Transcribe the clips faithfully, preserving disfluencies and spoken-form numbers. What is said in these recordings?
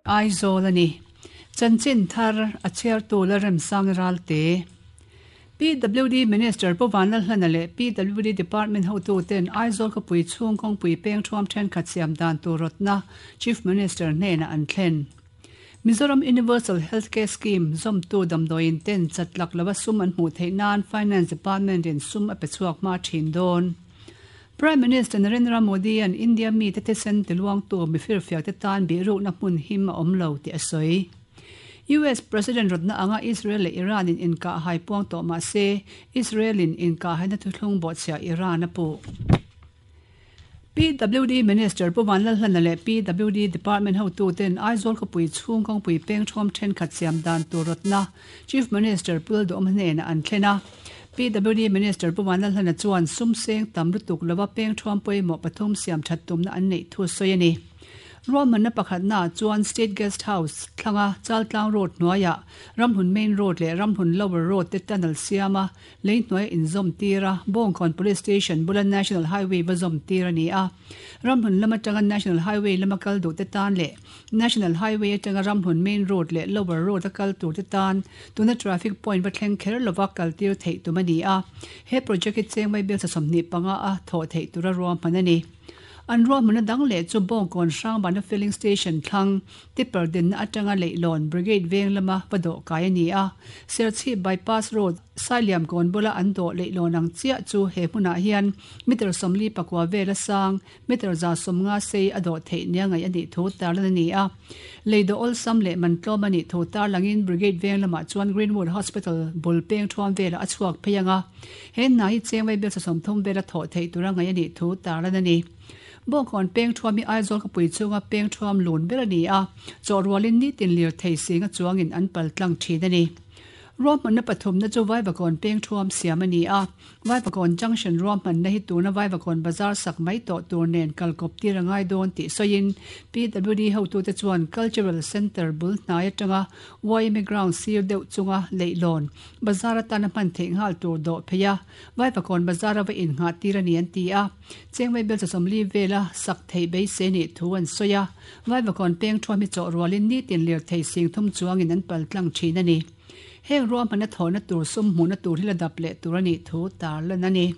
Aizawl a ni. Chanchin thar a chhiartu Lalremsang Ralte. PWD Minister Pu Vanlalhlana leh PWD Department hotuten Aizawl khawpui chhung kawngpui peng thuam thenkhat siam dan tur rawtna Chief Minister hnenah an thlen. Mizoram Universal Healthcare Scheme zawmtu damdawiin ten chatlak lova sum an hmuh theih nan Finance Department in sum a pe chhuak hma thin dawn. Prime Minister Narendra Modi an India mi te thisen tiluangtu mifirfiak te tan bihrukna hmun him a awm lo tih a sawi. US President rawtna anga Israel leh Iran in inkah hai puang tawh mah se Israel in inkah haina thuthlung bawhchhiah Iran a puh. PWD Minister Pu Vanlalhlana leh PWD Department hotuten Aizawl khawpui chhung kawngpui peng thuam thenkhat siam dan tur rawtna Chief Minister Pu Lalduhawm hnenah an thlen a. PWD Minister Pu Vanlalhlana chuan sum seng tam lutuk lova peng thuam pawimawh pathum siam that tumna an neih thu sawi a ni. Ruahmanna pakhatna chuan State Guest House thlanga Chaltlang Road hnuaiah Ramhlun Main Road leh Ramhlun Lower Road te tunnel siama lei hnuai inzawm tir a, Bawngkawn Police Station bula National Highway va zawm tir a ni a. Ramhlun lam atanga National Highway lama kal duh te tan leh National Highway atanga Ramhlun Main Road leh Lower Road a kal tur te tan tuna traffic point va thleng kher lova kal tir theih tum a ni a. He project hi chengmai bial sasawmhnih panga a thawh theih tura ruahman a ni. An ruahmanna dang leh chu Bawngkawn Hrangbana Filling Station thlang tipper dinna atanga Leihlawn Brigade veng lama va dawh kai a ni a. Serchhip Bypass Road Sailiam kawn bula an dawh Leihlawn ang chiah chu he hmunah hian meter sawmli pakua vela sang meter za sawmnga sei a dawh theih nia ngaih a nih thu tarlan a ni a. Lei dawh awlsam leh mantlawm a nih thu tarlangin Brigade veng lamah chuan Greenwood Hospital bul peng thuam velah a chhuak phei ang a. He hna hi chengvai bial sawmthum vela thawh theih tura ngaih a nih thu tarlan a ni. Bawngkawn peng thuam hi Aizawl khawpui chhunga peng thuam lun ber a ni a, chawhrualin nitin lir thei singa chuangin an pal tlang thin a ni. Ruahmanna pathumna chu Vaivakawn peng thuam siam a ni a, Vaivakawn Junction ruahmanna hi tuna Vaivakawn Bazar sak mai tawh tur nen kalkawp tir a ngai dawn tih sawiin PWD hotute chuan Cultural Centre bul hnai atanga YMA Ground sir deuh chunga leihlawn bazar atana hman theih nghal tur dawh phei a, Vaivakawn Bazar a va innghah tir a ni an ti a. Chengmei bel chawsawmli vela sak theih beisei nih thu an sawi a, Vaivakawn peng thuam hi chawh rualin nitin lirthei sing thum chuangin an pal tlang thin a ni. Heng ruahmanna thawhna tur sum hmuhna tur hi la dap leh tur a nih thu tarlan a ni.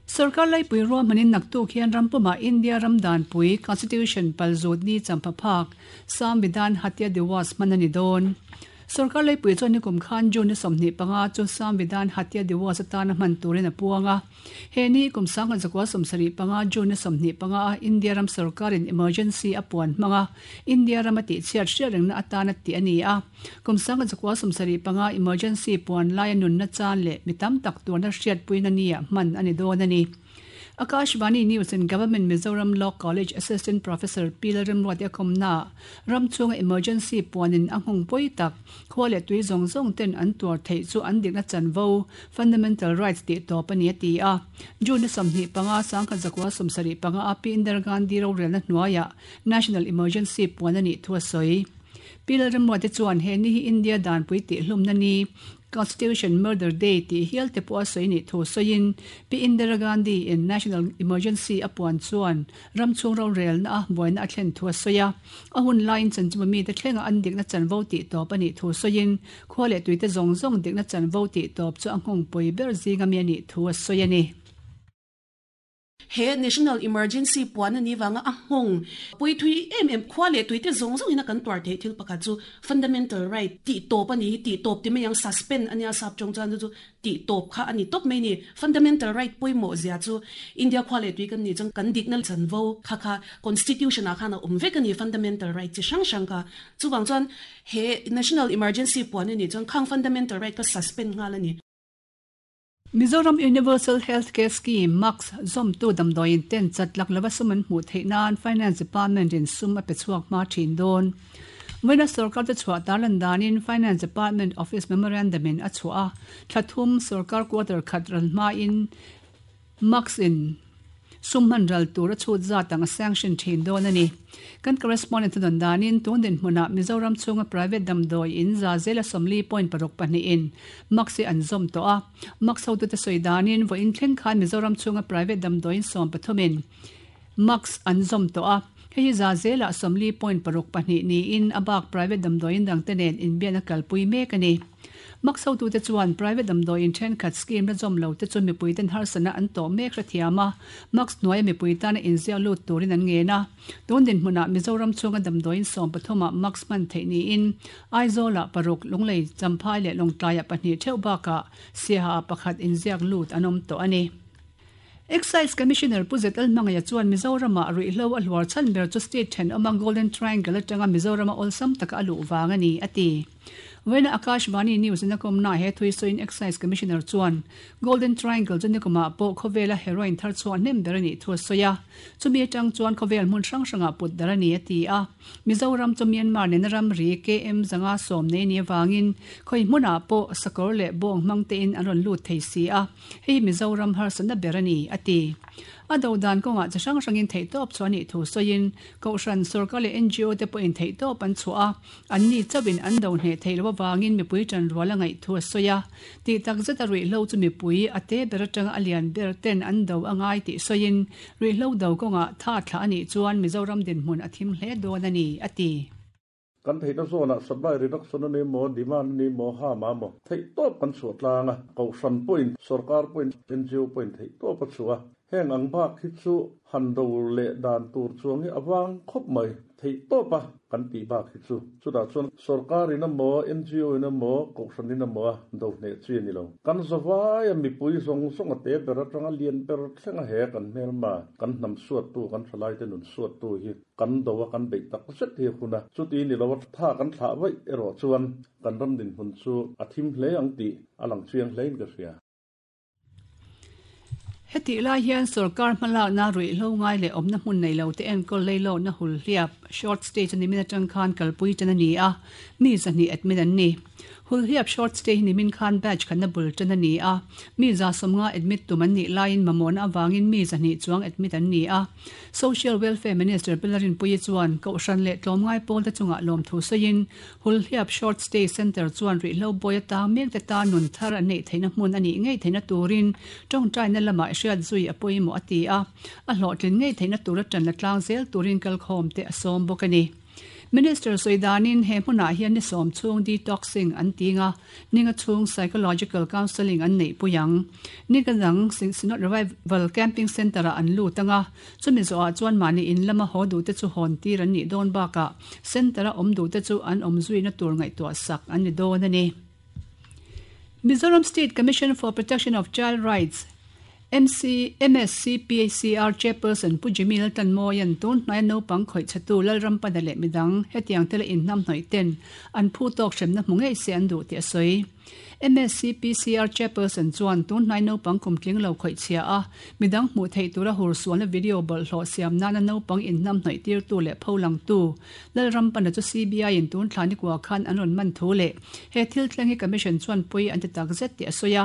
Sorkar laipui ruahmanin naktuk hian ram pumah India ram danpui, Constitution, palzut ni champha phak, Samvidhan Hatya Diwas hman a ni dawn. Sorkar laipui chuan nikum khan June ni sawmhnih panga chu Samvidhan Hatya Diwas atana hman turin a puang a. He ni kum sangkhat zakua sawmsarih panga June ni sawmhnih panga a India ram sorkarin emergency a puan hmang a, India rama tihchhiat hriat rengna atana tih a ni a. Kum sangkhat zakua sawmsarih panga emergency puan laia nunna chan leh mi tam tak tuarna hriatpuina nia hman a ni dawn a ni. Akashvani News in Government Mizoram Law College Assistant Professor Pi Lalremruati a kawmnaah ram chhunga emergency puanin a nghawng pawi tak, khua leh tui zawng zawng ten an tuar theih chu an dikna chanvo, fundamental rights, tih tawp a ni a ti a. June ni sawmhnih panga sangkhat zakua sawmsarih panga a Pi Indira Gandhi rorelna hnuaiah National Emergency puan a nih thu a sawi. Pi Lalremruati chuan he ni hi India danpui tihhlumna ni, Constitution Murder Day tih hial te pawh a sawi nih thu sawiin Pi Indira Gandhi in National Emergency a puan chuan ram chhung rorelna a buaina a thlen thu a sawi a. A hun laiin chanchimawmi mite thlenga an dikna chanvo tih tawp a nih thu sawiin khua leh tuite zawng zawng dikna chanvo tih tawp chu a nghawng pawi ber zinga mi a nih thu a sawi a ni. He National Emergency puan a ni vanga a nghawng pui thui em em khua leh tuite zawng zawngin a kan tuar theih thil pakhat chu fundamental right tih tawp a ni hi, tih tawp ti mai ang suspend a nia sap tawng chuan chu chu tih tawp kha a ni tawp mai ni. Fundamental right pawimawh zia chu India khua leh tui kan nih chuan kan dikna chanvo kha kha Constitution ah khan a awm vek a ni fundamental right chi hrang hrang kha. Chuvang chuan he National Emergency puan a nih chuan khang fundamental right kha suspend nghal a ni. Mizoram Universal Health Care Scheme, MACS, zawmtu damdawiin ten chatlak lova sum an hmuh theih nan Finance Department in sum a pe chhuak hma thin dawn. Vawiina sorkar te chhuah tarlan danin Finance Department Office Memorandum in a chhuah a, thla thum sorkar quarter khat ral hmain MACS in sum hman ral tur a chhut zat ang a sanction thin dawn a ni. Kan correspondent a dawn danin tun dinhmunah Mizoram chhunga private damdawi in za zela sawmli point paruk pahnih in MACS hi an zawm tawh a. MACS hotute sawi danin vawiin thleng khan Mizoram chhunga private damdawi in sawm pathum in MACS an zawm tawh a. Hei za zela somli point paruk pahnih niin abak private damdawiin dang te nen inbiakna kalpui mek a ni. Max hotu te chuan private damdawiin thenkhat scheme la zawm lo te chu mipui ten harsatna an tawh mek hrethiam a, Max hnuaia mipui tana inziak lut turin an ngen a. Tun dinhmunah Mizoram chhunga damdawiin sawm pathumah Max hman theih niin Aizawlah paruk, Lunglei, Champhai leh Lawngtlaiah pahnih theuh bakah Siaha pakhat inziak lut an awm tawh a ni. Excise Commissioner Pu Zet Alhmangaia chuan Mizoramah ruihhlo a hluar chhan ber chu state thenawma Golden Triangle atanga Mizorama awlsam taka a luh vang a ni, a ti. Vawiina Akashvani News in a kawmnaah he thui sawiin Excise Commissioner chuan Golden Triangle chu nikumah pawh khawvela heroin thar chhuah hnem ber a nih thu a sawi a, chumi atang chuan khawvel hmun hrang hrangah put dar a ni, a ti a. Mizoram chu Myanmar nena ramri K M zanga sawm nei ni avangin khawi hmunah pawh sakawr leh bawng hmang tein an rawn lut thei si a, hei hi Mizoram harsatna ber a ni, a ti. A do dan kawngah chi hrang hrangin theihtawp chhuah a nih thu sawiin Kohhran, sorkar leh N G O te pawhin theihtawp an chhuah a, anni chauhin an do hneh theih loh avangin mipui tanrual a ngaih thu a sawi a. Tih tak zeta ruihhlo chu mipui a te ber atanga a lian ber ten an do a ngai tih sawiin ruihhlo do kawngah tha thlah a nih chuan Mizoram dinhmun a thim hle dawn a ni, a ti. Kan theihna zawnah supply reduction a ni maw, demand a ni maw, ha ma maw, theihtawp kan chhuah tlang a, kohhran pawhin, sorkar pawhin, N G O pawhin theihtawp a chhuah a. Heng ang bak hi chu han do leh dan tur chuang hi a vang khawp mai, theihtawp a kan tih bak hi chu. Chutah chuan sorkarin a maw, N G O in a maw, kohhranin a maw a do hneh chi a ni lo. Kan zawai a mipui zawng zawng a te ber atanga lian ber thleng a he kan hmelma, kan hnam suattu, kan thalai te nun suattu hi kan do a kan beih tak zet hi a hun a. Chuti ni lo a tha kan thlah vaih erawh chuan kan ram dinhmun chu a thim hle ang tih a lang chiang hlein ka hria. Hetih lai hian sorkar hmalakna ruihhlo ngai leh awmna hmun nei lo te enkawl leilawkna hul hliap short stay chu nimin atang khan kalpui tan a ni a, mi zahnih admit an ni. Hul hliap short stay hi nimin khan batch khatna bul tan a ni a, mi za sawmnga admit tum an nih laiin mamawhna avangin mi zahnih chuang admit an ni a. Social Welfare Minister Pi Lalrinpuii chuan Kohhran leh tlawmngai pawl te chungah lawmthu sawiin hul hliap short stay centre chuan ruihhlo bawi atang mek te tan nun thar an neih theihna hmun a nih ngei theihna turin tawngtaina lamah hriat zui a pawimawh a ti a, a hlawhtlin ngei theihna tura tan la tlang zel turin kalkhawm te a sawm bawk a ni. Minister sawi danin he hmunah hian ni sawm chhung detoxing an ti nga, ninga chhung psychological counselling an neih pui ang. Ninga dang Synod Revival Camping Centre-ah an lut anga, chumi zawhah chuan mahni in lama haw duhte chu hawn tir an nih dawn bakah centre-a awm duhte chu an awm zuina tur ngaihtuah sak an ni dawn a ni. Mizoram State Commission for Protection of Child Rights, M C, M S C P C R Chairperson Pu Jimmy Laltanmawia'n tun hnaia naupang khawih chhetu Lalrampada leh midang hetiang tela inhnam hnawih ten an phu tawk hremna hmu ngei se an duh tih a sawi. M S C P C R Chairperson chuan tun hnai naupang kum tling lo khawih chhia a, midang hmuh theih tura hur sualna video bawlhhlawh siam nana naupang inhnam hnawih tirtu leh pholangtu Lalrampana chu C B I in tun thla nikua khan an rawn man thu leh he thil thleng hi Commission chuan pawi an ti tak zet tih a sawi a.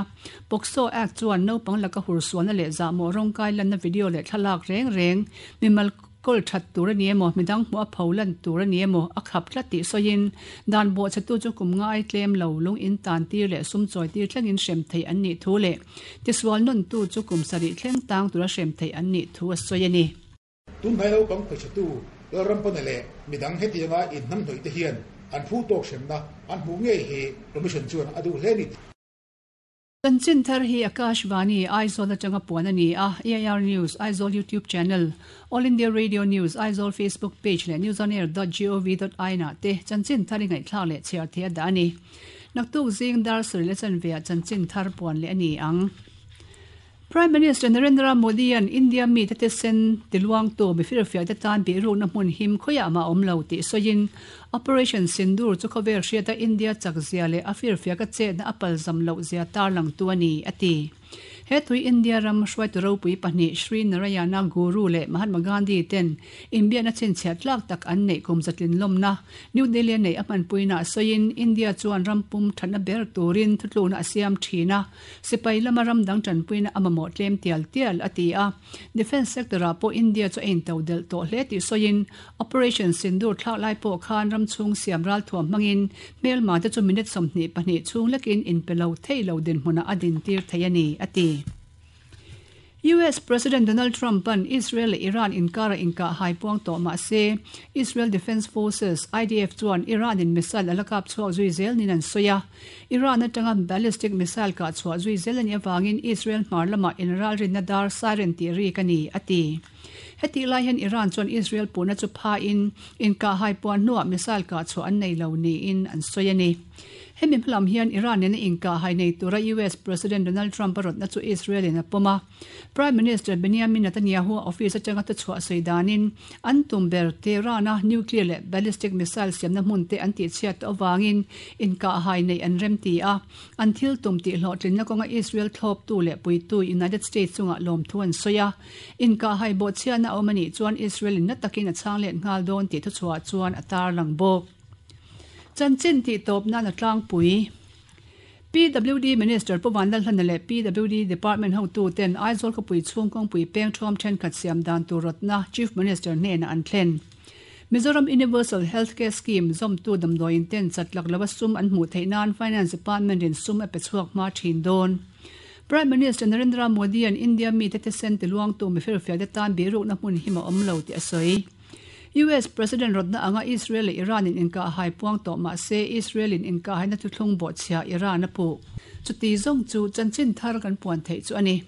POCSO Act chuan naupang laka hur sualna leh zahmawh rawngkai lanna video leh thlalak reng reng mimal kawl that tur a ni emaw, midang hmuh a pho lan tur a ni emaw a khap tlat tih sawiin dan bawhchhetu chu kum ngai tlem lo lung in tan tir leh sum chawi tir thlengin hrem theih an nih thu leh tisual nawntu chu kum sarih thleng tang tura hrem theih an nih thu a sawi a ni. Tun hnai naupang khawihchhetu Lalrampana leh midang hetianga inhnam hnawih te hian an phu tawk hremna an hmuh ngei hi Commission chuan a duh hle a ni. Chanchin thar hi Akashvani Aizawl atanga puan a ni a, A I R News Aizawl YouTube channel, All India Radio News Aizawl Facebook page leh newsonair dot gov dot in ah te chanchin thar i ngaihthlak leh chhiar thei a dah a ni. Naktuk zing dar sarih leh chanve ah chanchin thar puan leh a ni ang. Prime Minister Narendra Modi an India mi te te sen tiluang tu mi firfiak te tan bihrukna hmun him khawiah mah awm lo tih sawiin Operation Sindoor chu khawvel hriata India chak zia leh a firfiak a chetna a palzam loh zia tarlang tu a ni, a ti. He tui India ram hruaitu ropui pahnih Shri Narayana Guru leh Mahatma Gandhi ten inbiakna chhinchhiah tlak tak an neih kum zatlin lawmna New Delhi nei a hmanpuina sawiin India chuan rampum thatna ber turin thutlukna a siam thin a, sipai lama ram dang tanpuina a mamawh tlem tial tial a ti a. Defence sector ah pawh India chu a intodelh tawh hle tih sawiin Operation Sindoor thlak lai pawh khan ram chhung siam ral thuam hmangin hmelma te chu minute sawmhnih pahnih chhung lekin inpe lo thei lo dinhmunah a din tir thei a ni, a ti. U S President Donald Trump an Israel le Iran inkara inka haipuang to ma se Israel Defense Forces I D F chuan Iran in missile alakap chuak zui zel nin an soya. Iran atanga ballistic missile ka chua zui zel ani awangin Israel hmar lama inral rin na dar siren ti ri kani ati. Heti lai hian Iran chuan Israel puna chu pha in inka hai puan nuwa missile ka chu an nei lo ni in an soyani. Hemi hlam hian Iran in inka hai nei tura U S President Donald Trump arot na chu Israel in a poma. Prime Minister Benjamin Netanyahu office atanga ta chua soidanin an tumber Tehran a nuclear le ballistic missile siam na hmun te an ti chiat awangin inka hai nei an rem ti a. An thil tum ti hlo tlin na konga Israel thlop tu le pui tu United States chunga lom thu an soya. Inka hai bo chia na omani chuan Israel in na takin a chang le ngal don ti thu chua chuan atar lang bok. Chanchin ti top na na tlang pui. P W D Minister Pu Vanlalhlana le P W D Department hotu ten Aizawl khawpui chhung kawngpui peng thawm thenkhat siam dan tur rawtna Chief Minister hnenah an thlen. Mizoram Universal Healthcare Scheme zawmtu damdawiin ten chatlak lova sum an hmuh theih nan Finance Department in sum a pe chhuak hma thin dawn. Prime Minister Narendra Modi an India mi te sen ti luang tu mi firfiak te tan birukna hmun hi ma awm lo ti a sawi. U S President rodna anga Israel le Iran in inka hai puang to ma se Israel in inka hai na thu thlung bo chhia Iran a pu. Chuti zong chu chanchin thar kan puan thei chu ani.